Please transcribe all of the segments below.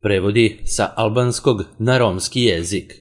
Prevodi sa albanskog na romski jezik.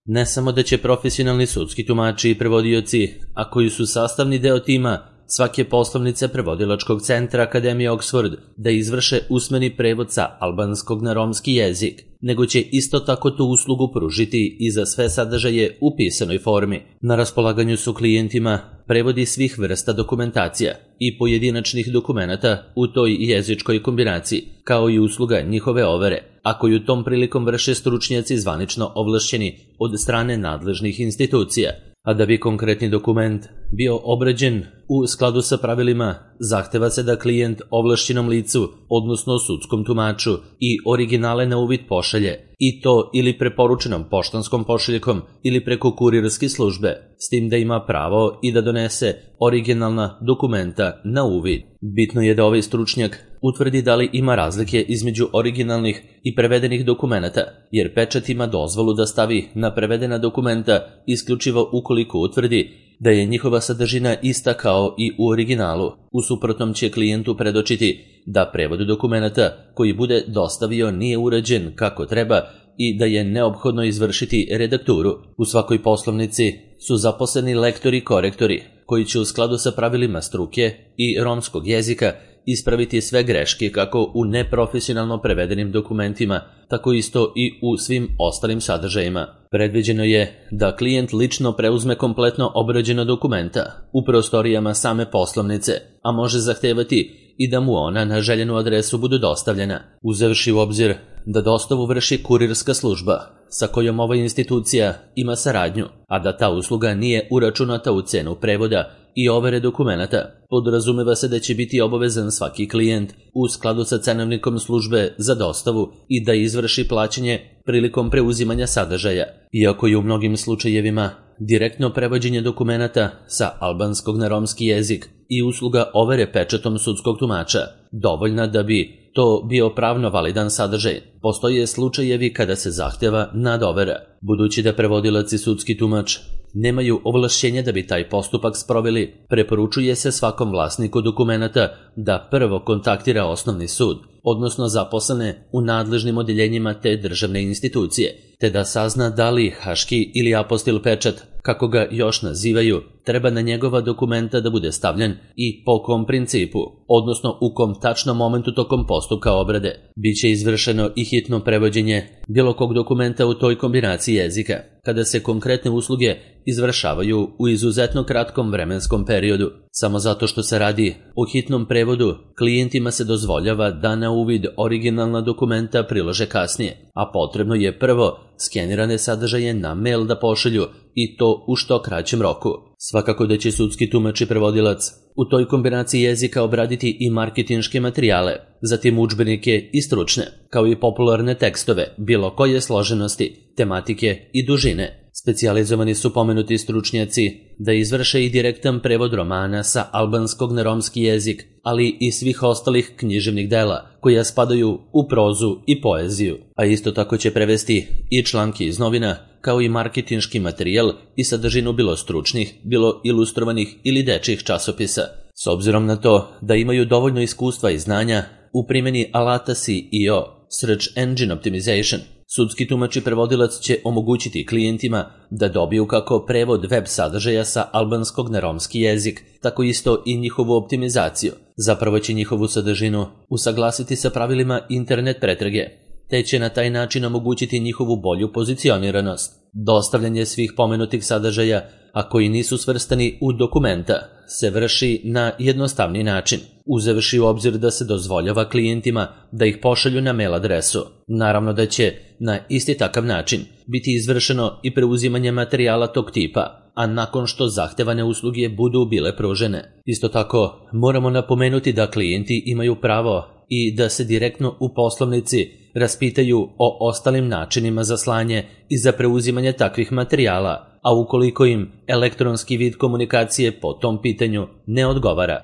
Ne samo da će profesionalni sudski tumači i prevodioci, a koji su sastavni deo tima svake poslovnice prevodilačkog centra Akademije Oxford, da izvrše usmeni prevod sa albanskog na romski jezik, nego će isto tako tu uslugu pružiti i za sve sadržaje u pisanoj formi. Na raspolaganju su klijentima prevodi svih vrsta dokumentacija i pojedinačnih dokumenata u toj jezičkoj kombinaciji, kao i usluga njihove overe, a koju tom prilikom vrše stručnjaci zvanično ovlašćeni od strane nadležnih institucija. A da bi konkretni dokument bio obrađen u skladu sa pravilima, zahteva se da klijent ovlašćenom licu, odnosno sudskom tumaču, i originale na uvid pošalje, i to ili preporučenom poštanskom pošiljkom ili preko kurirske službe, s tim da ima pravo i da donese originalna dokumenta na uvid. Bitno je da ovaj stručnjak utvrdi da li ima razlike između originalnih i prevedenih dokumenata, jer pečat ima dozvolu da stavi na prevedena dokumenta isključivo ukoliko utvrdi da je njihova sadržina ista kao i u originalu. U suprotnom će klijentu predočiti da prevod dokumenta koji bude dostavio nije urađen kako treba i da je neophodno izvršiti redakturu. U svakoj poslovnici su zaposleni lektori i korektori koji će u skladu sa pravilima struke i romskog jezika ispraviti sve greške kako u neprofesionalno prevedenim dokumentima, tako isto i u svim ostalim sadržajima. Predviđeno je da klijent lično preuzme kompletno obrađena dokumenta u prostorijama same poslovnice, a može zahtevati i da mu ona na željenu adresu budu dostavljena, uzevši u obzir da dostavu vrši kurirska služba sa kojom ova institucija ima saradnju, a da ta usluga nije uračunata u cenu prevoda i overe dokumenata. Podrazumeva se da će biti obavezan svaki klijent u skladu sa cenovnikom službe za dostavu i da izvrši plaćanje prilikom preuzimanja sadržaja. Iako je u mnogim slučajevima direktno prevođenje dokumenata sa albanskog na romski jezik i usluga overe pečatom sudskog tumača dovoljna da bi to bio pravno validan sadržaj, postoje slučajevi kada se zahteva nadovera. Budući da prevodilac i sudski tumač nemaju ovlašćenja da bi taj postupak sproveli, preporučuje se svakom vlasniku dokumenata da prvo kontaktira osnovni sud, odnosno zaposlene u nadležnim odeljenjima te državne institucije, te da sazna da li haški ili apostil pečat, kako ga još nazivaju, treba na njegova dokumenta da bude stavljen i po kom principu, odnosno u kom tačnom momentu tokom postupka obrade. Biće izvršeno i hitno prevođenje bilo kog dokumenta u toj kombinaciji jezika, kada se konkretne usluge izvršavaju u izuzetno kratkom vremenskom periodu. Samo zato što se radi o hitnom prevodu, klijentima se dozvoljava da na uvid originalna dokumenta prilože kasnije, a potrebno je prvo skenirane sadržaje na mail da pošalju i to u što kraćem roku. Svakako da će sudski tumač i prevodilac u toj kombinaciji jezika obraditi i marketinške materijale, zatim udžbenike i stručne, kao i popularne tekstove, bilo koje složenosti, tematike i dužine. Specijalizovani su pomenuti stručnjaci da izvrše i direktan prevod romana sa albanskog na romski jezik, ali i svih ostalih književnih dela koja spadaju u prozu i poeziju, a isto tako će prevesti i članke iz novina, kao i marketinški materijal i sadržinu bilo stručnih, bilo ilustrovanih ili dečjih časopisa. S obzirom na to da imaju dovoljno iskustva i znanja u primjeni alata SEO, Search Engine Optimization, sudski tumač i prevodilac će omogućiti klijentima da dobiju kako prevod web sadržaja sa albanskog na romski jezik, tako isto i njihovu optimizaciju. Zapravo će njihovu sadržinu usaglasiti sa pravilima internet pretrage, te će na taj način omogućiti njihovu bolju pozicioniranost. Dostavljanje svih pomenutih sadržaja, a koji nisu svrstani u dokumenta, se vrši na jednostavni način, uzevši u obzir da se dozvoljava klijentima da ih pošalju na mail adresu. Naravno da će na isti takav način biti izvršeno i preuzimanje materijala tog tipa, a nakon što zahtevane usluge budu bile pružene. Isto tako, moramo napomenuti da klijenti imaju pravo i da se direktno u poslovnici raspitaju o ostalim načinima za slanje i za preuzimanje takvih materijala, a ukoliko im elektronski vid komunikacije po tom pitanju ne odgovara.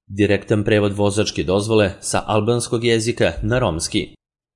Direktan prevod vozačke dozvole sa albanskog jezika na romski.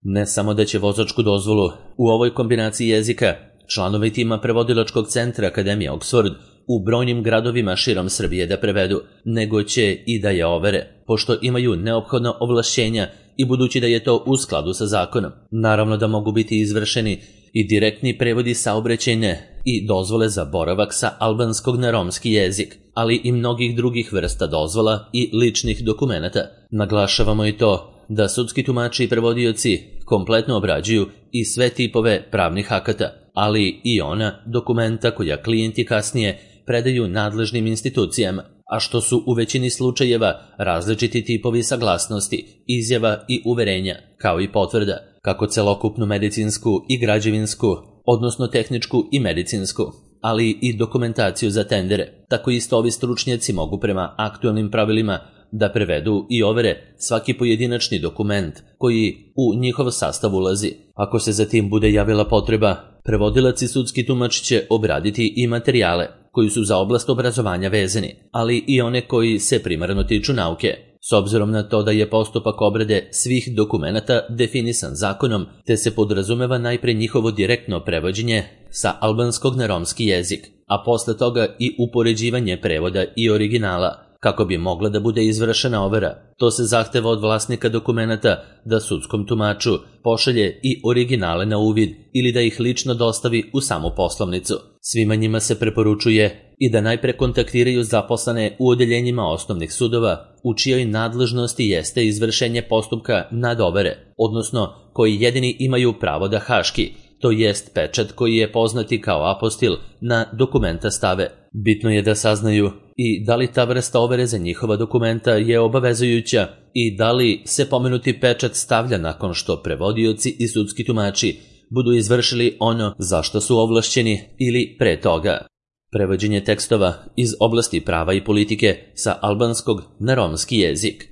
Ne samo da će vozačku dozvolu u ovoj kombinaciji jezika članovi tima prevodilačkog centra Akademije Oxford u brojnim gradovima širom Srbije da prevedu, nego će i da je overe, pošto imaju neophodna ovlašćenja i budući da je to u skladu sa zakonom. Naravno da mogu biti izvršeni i direktni prevodi saobraćajne i dozvole za boravak sa albanskog na romski jezik, ali i mnogih drugih vrsta dozvola i ličnih dokumenata. Naglašavamo i to da sudski tumači i prevodioci kompletno obrađuju i sve tipove pravnih akata, ali i ona dokumenta koja klijenti kasnije predaju nadležnim institucijama, a što su u većini slučajeva različiti tipovi saglasnosti, izjava i uverenja, kao i potvrda, kako celokupnu medicinsku i građevinsku, odnosno tehničku i medicinsku, ali i dokumentaciju za tendere. Tako isto ovi stručnjaci mogu prema aktualnim pravilima da prevedu i overe svaki pojedinačni dokument koji u njihov sastav ulazi. Ako se za tim bude javila potreba, prevodilac i sudski tumač će obraditi i materijale koji su za oblast obrazovanja vezani, ali i one koji se primarno tiču nauke. S obzirom na to da je postupak obrade svih dokumenata definisan zakonom, te se podrazumeva najpre njihovo direktno prevođenje sa albanskog na romski jezik, a posle toga i upoređivanje prevoda i originala, kako bi mogla da bude izvršena overa. To se zahteva od vlasnika dokumenata da sudskom tumaču pošalje i originale na uvid ili da ih lično dostavi u samu poslovnicu. Svima njima se preporučuje i da najpre kontaktiraju zaposlene u odeljenjima osnovnih sudova u čijoj nadležnosti jeste izvršenje postupka nad overe, odnosno koji jedini imaju pravo da haški, to jest pečat koji je poznati kao apostil, na dokumenta stave. Bitno je da saznaju i da li ta vrsta overe za njihova dokumenta je obavezujuća i da li se pomenuti pečat stavlja nakon što prevodioci i sudski tumači budu izvršili ono za što su ovlašćeni ili pre toga. Prevođenje tekstova iz oblasti prava i politike sa albanskog na romski jezik.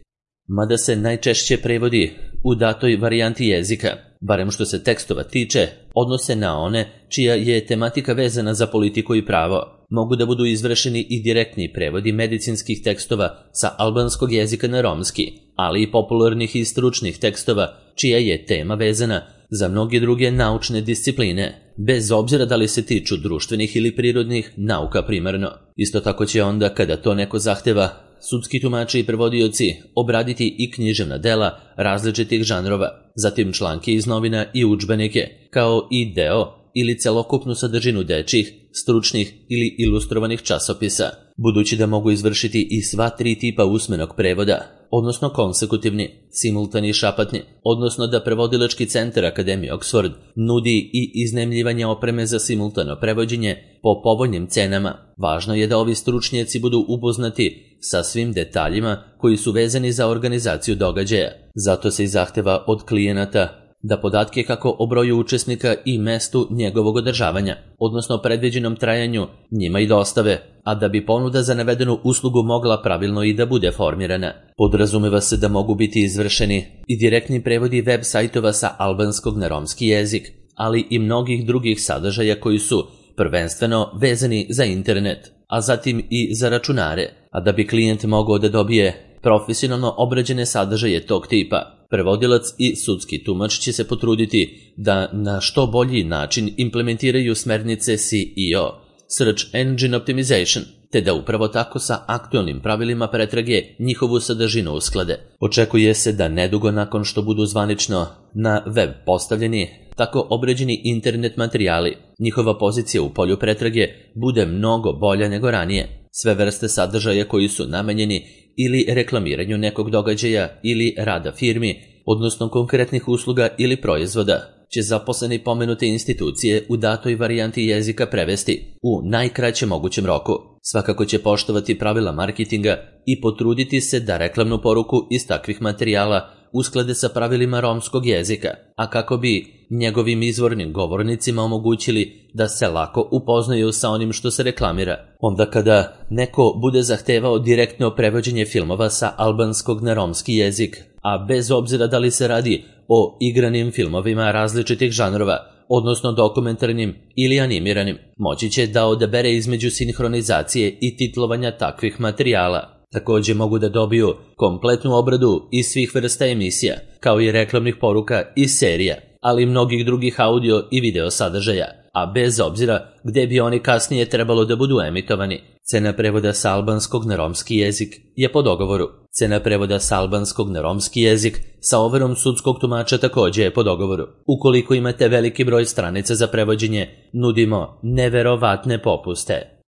Mada se najčešće prevodi u datoj varijanti jezika, barem što se tekstova tiče, odnose na one čija je tematika vezana za politiku i pravo. Mogu da budu izvršeni i direktni prevodi medicinskih tekstova sa albanskog jezika na romski, ali i popularnih i stručnih tekstova čija je tema vezana za mnoge druge naučne discipline, bez obzira da li se tiču društvenih ili prirodnih nauka primarno. Isto tako će onda, kada to neko zahteva, sudski tumači i prevodioci obraditi i književna dela različitih žanrova, zatim članke iz novina i udžbenike, kao i deo ili celokupnu sadržinu dečjih, stručnih ili ilustrovanih časopisa. Budući da mogu izvršiti i sva tri tipa usmenog prevoda, odnosno konsekutivni, simultani i šapatni, odnosno da prevodilački centar Akademije Oxford nudi i iznajmljivanje opreme za simultano prevođenje po povoljnim cenama, važno je da ovi stručnjaci budu upoznati sa svim detaljima koji su vezani za organizaciju događaja. Zato se i zahteva od klijenata da podatke kako o broju učesnika i mestu njegovog održavanja, odnosno predviđenom trajanju, njima i dostave, a da bi ponuda za navedenu uslugu mogla pravilno i da bude formirana. Podrazumeva se da mogu biti izvršeni i direktni prevodi web sajtova sa albanskog na romski jezik, ali i mnogih drugih sadržaja koji su prvenstveno vezani za internet, a zatim i za računare, a da bi klijent mogao da dobije profesionalno obrađene sadržaje tog tipa. Prevodilac i sudski tumač će se potruditi da na što bolji način implementiraju smernice SEO, Search Engine Optimization, te da upravo tako sa aktualnim pravilima pretrage njihovu sadržinu usklade. Očekuje se da nedugo nakon što budu zvanično na web postavljeni tako obrađeni internet materijali, njihova pozicija u polju pretrage bude mnogo bolja nego ranije. Sve vrste sadržaja koji su namenjeni ili reklamiranju nekog događaja ili rada firmi, odnosno konkretnih usluga ili proizvoda, će zaposleni pomenute institucije u datoj varijanti jezika prevesti u najkraćem mogućem roku. Svakako će poštovati pravila marketinga i potruditi se da reklamnu poruku iz takvih materijala usklade sa pravilima romskog jezika, a kako bi njegovim izvornim govornicima omogućili da se lako upoznaju sa onim što se reklamira. Onda kada neko bude zahtevao direktno prevođenje filmova sa albanskog na romski jezik, a bez obzira da li se radi o igranim filmovima različitih žanrova, odnosno dokumentarnim ili animiranim, moći će da odabere između sinhronizacije i titlovanja takvih materijala. Također mogu da dobiju kompletnu obradu iz svih vrsta emisija, kao i reklamnih poruka i serija, ali i mnogih drugih audio i video sadržaja, a bez obzira gde bi oni kasnije trebalo da budu emitovani. Cena prevoda sa albanskog na romski jezik je po dogovoru. Cena prevoda sa albanskog na romski jezik sa overom sudskog tumača takođe je po dogovoru. Ukoliko imate veliki broj stranica za prevođenje, nudimo neverovatne popuste.